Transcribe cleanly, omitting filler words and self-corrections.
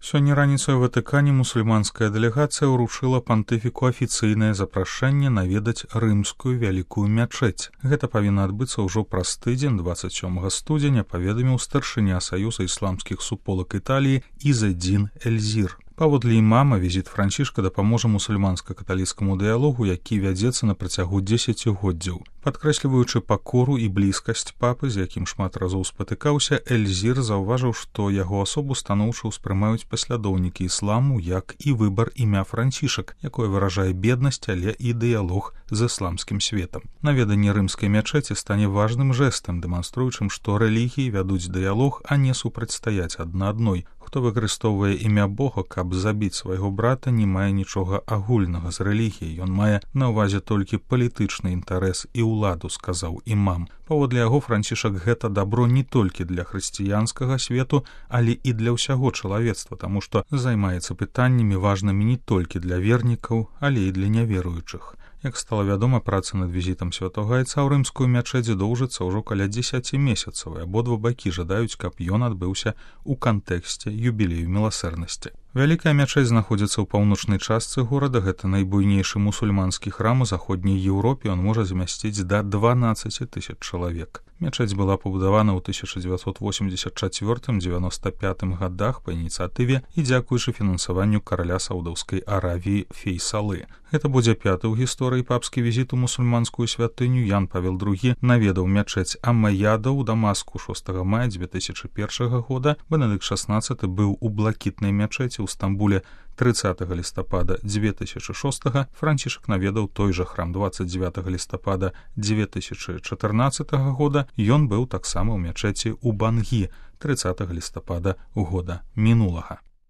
Сёння раніцай у Ватыкане мусульманская дэлегацыя ўручыла пантыфіку афіцыйнае запрашэнне наведаць рымскую вялікую мячэць. Гэта павінна адбыцца ўжо праз тыдзень 27 студзеня, паведаміў старшыня Саюза ісламскіх суполак Італіі Ізэдзін Эльзір. Паводле імама, візіт Францішка дапаможа мусульманска-каталіцкаму дыялогу, які вядзецца на працягу дзесяцігоддзяў. Падкрэсліваючы пакору і блізкасць папы, з якім шмат разоў спатыкаўся, Эльзір заўважыў, што яго асобу станоўча ўспрымаюць паслядоўнікі ісламу, як і выбар імя Францішак, якое выражае беднасць, але і дыялог з ісламскім светам. Наведанне рымскай мячэці стане важным жэстам, дэманструючым, што рэлігіі вядуць дыялог, а не супрацьстаяць адна адной. Хто выкарыстоўвае імя Бога, каб забіць свайго брата, не мае нічога агульнага з рэлігіяй. Ён мае на ўвазе толькі палітычны інтарэс і ўладу, сказаў імам. Паводле яго, Францішак гэта дабро не толькі для хрысціянскага свету, але і для ўсяго чалавецтва, таму што займаецца пытаннямі важнымі не толькі для вернікаў, але і для няверуючых. Як стала вядома, праца над візітам святога айца ў рымскую мячэць доўжыцца ўжо каля 10 месяцаў, і абодва бакі жадаюць, каб ён адбыўся ў кантэксце юбілею міласэрнасці. Вялікая мячэць знаходзіцца ў паўночнай частцы горада. Гэта найбуйнейшы мусульманскі храм у заходняй Еўропе. Ён можа змясціць да 12 000 чалавек. Мячэць была пабудавана ў 1984-95 гадах па ініцыятыве і дзякуючы фінансаванню караля Саўдаўскай Аравіі Фейсалы. Гэта будзе пяты ў гісторыі папскі візіт у мусульманскую святыню. Ян Павел II наведаў мячэць Аммаяда ў Дамаску 6 мая 2001 года. Бенедыкт XVI быў у блакітнай мячэці ў Стамбуле 30 лістапада 2006, Францішак наведаў той жа храм 29 лістапада 2014 года. Ён быў таксама ў мячэці ў Бангі 30 лістапада года мінулага.